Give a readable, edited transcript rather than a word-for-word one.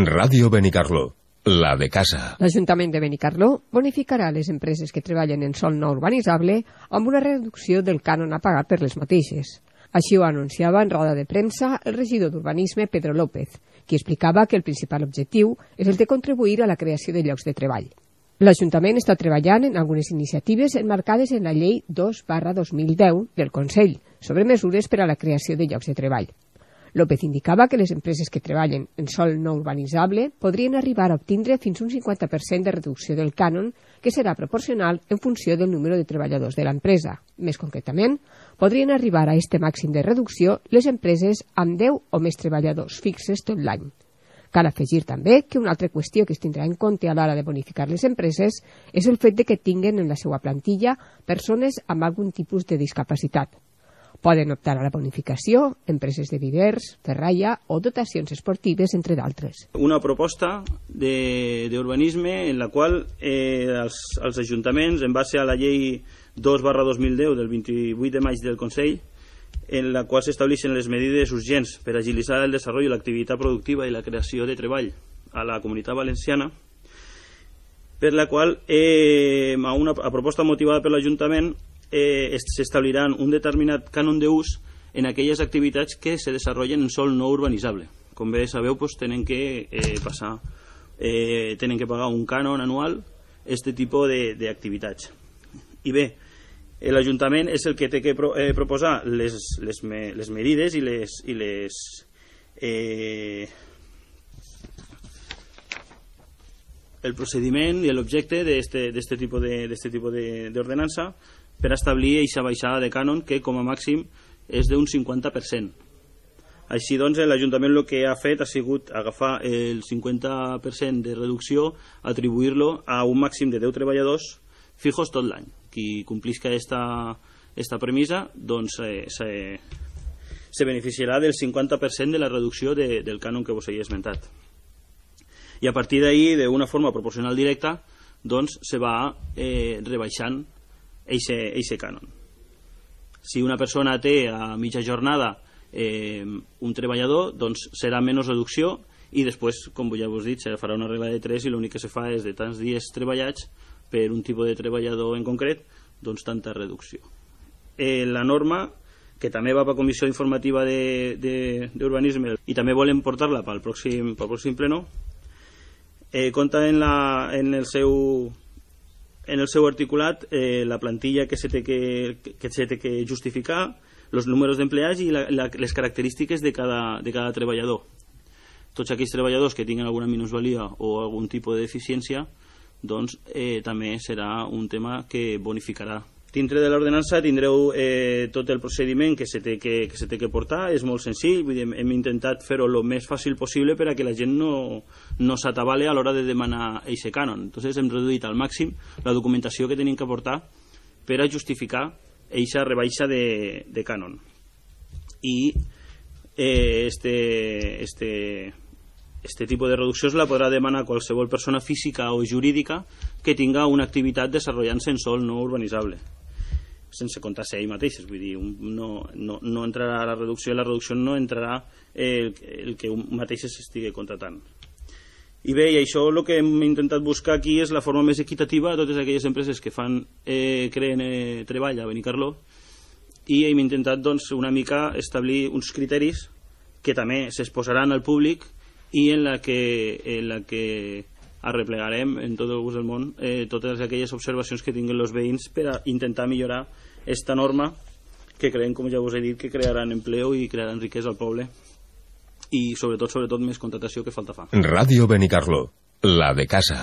Ràdio Benicarló, la de casa. L'Ajuntament de Benicarló bonificarà les empreses que treballen en sòl no urbanitzable amb una reducció del cànon a pagar per les mateixes. Així ho anunciava en roda de premsa el regidor d'Urbanisme, Pedro López, qui explicava que el principal objectiu és el de contribuir a la creació de llocs de treball. L'Ajuntament està treballant en algunes iniciatives enmarcades en la Llei 2/2010 del Consell sobre mesures per a la creació de llocs de treball. López indicava que les empreses que treballen en sòl no urbanitzable podrien arribar a obtindre fins un 50% de reducció del cànon, que serà proporcional en funció del número de treballadors de l'empresa. Més concretament, podrien arribar a este màxim de reducció les empreses amb 10 o més treballadors fixes tot l'any. Cal afegir també que una altra qüestió que es tindrà en compte a l'hora de bonificar les empreses és el fet de que tinguen en la seva plantilla persones amb algun tipus de discapacitat. Poden optar a la bonificació empreses de vivers, ferralla o dotacions esportives, entre d'altres. Una proposta d'urbanisme en la qual els ajuntaments, en base a la llei 2/2010 del 28 de maig del Consell, en la qual s'estableixen les medides urgents per agilitzar el desenvolupament, l'activitat productiva i la creació de treball a la Comunitat Valenciana, per la qual, a proposta motivada per l'Ajuntament, s'establiran un determinat cànon d'ús en aquelles activitats que se desenvolupen en sòl no urbanitzable. Com bé sabeu, tenen que pagar un cànon anual aquest tipus d'activitats. I bé, l'Ajuntament és el que té que proposar les medides i el procediment i l'objecte d'aquest tipus d'ordenança per establir aquesta baixada de cànon que com a màxim és d'un 50%. Així doncs, l'Ajuntament el que ha fet ha sigut agafar el 50% de reducció, atribuir-lo a un màxim de 10 treballadors fijos tot l'any. Qui complisca aquesta premissa doncs se beneficiarà del 50% de la reducció del cànon que vos he esmentat. I a partir d'ahí, d'una forma proporcional directa, doncs se va rebaixant eixe cànon. Si una persona té a mitja jornada un treballador, doncs serà menys reducció i després, com ja vos he dit, se farà una regla de 3 i l'únic que se fa és de tants dies treballats per un tipus de treballador en concret, doncs tanta reducció. La norma, que també va per comissió informativa d'urbanisme i també volem portar-la pel pròxim pleno, compta en el seu articulat la plantilla que se té que justificar, els números d'empleats i les característiques de cada treballador. Tots aquells treballadors que tinguin alguna minusvalia o algun tipus de deficiència, doncs també serà un tema que bonificarà. Dintre de l'ordenança tindreu tot el procediment que se té que portar, és molt senzill, hem intentat fer-ho el més fàcil possible per a que la gent no s'atabale a l'hora de demanar aquest cànon. Entonces hem reduït al màxim la documentació que tenim que portar per a justificar aquesta rebaixa de cànon. I este tipus de reduccions la podrà demanar qualsevol persona física o jurídica que tinga una activitat desenvolupant-se en sòl no urbanitzable, sense comptar-se ell mateix. Vull dir, no entrarà la reducció no entrarà el que un mateix s'estigui contratant. I bé, i això el que hem intentat buscar aquí és la forma més equitativa a totes aquelles empreses que creen treball a Benicarló, i hem intentat doncs una mica establir uns criteris que també s'exposaran al públic i en la que arreplegarem en tot el gust del món totes aquelles observacions que tinguin els veïns per a intentar millorar aquesta norma que creiem, com ja us he dit, que crearan empleo i crearan riquesa al poble i sobretot més contratació que falta fa. Ràdio Benicarló, la de casa.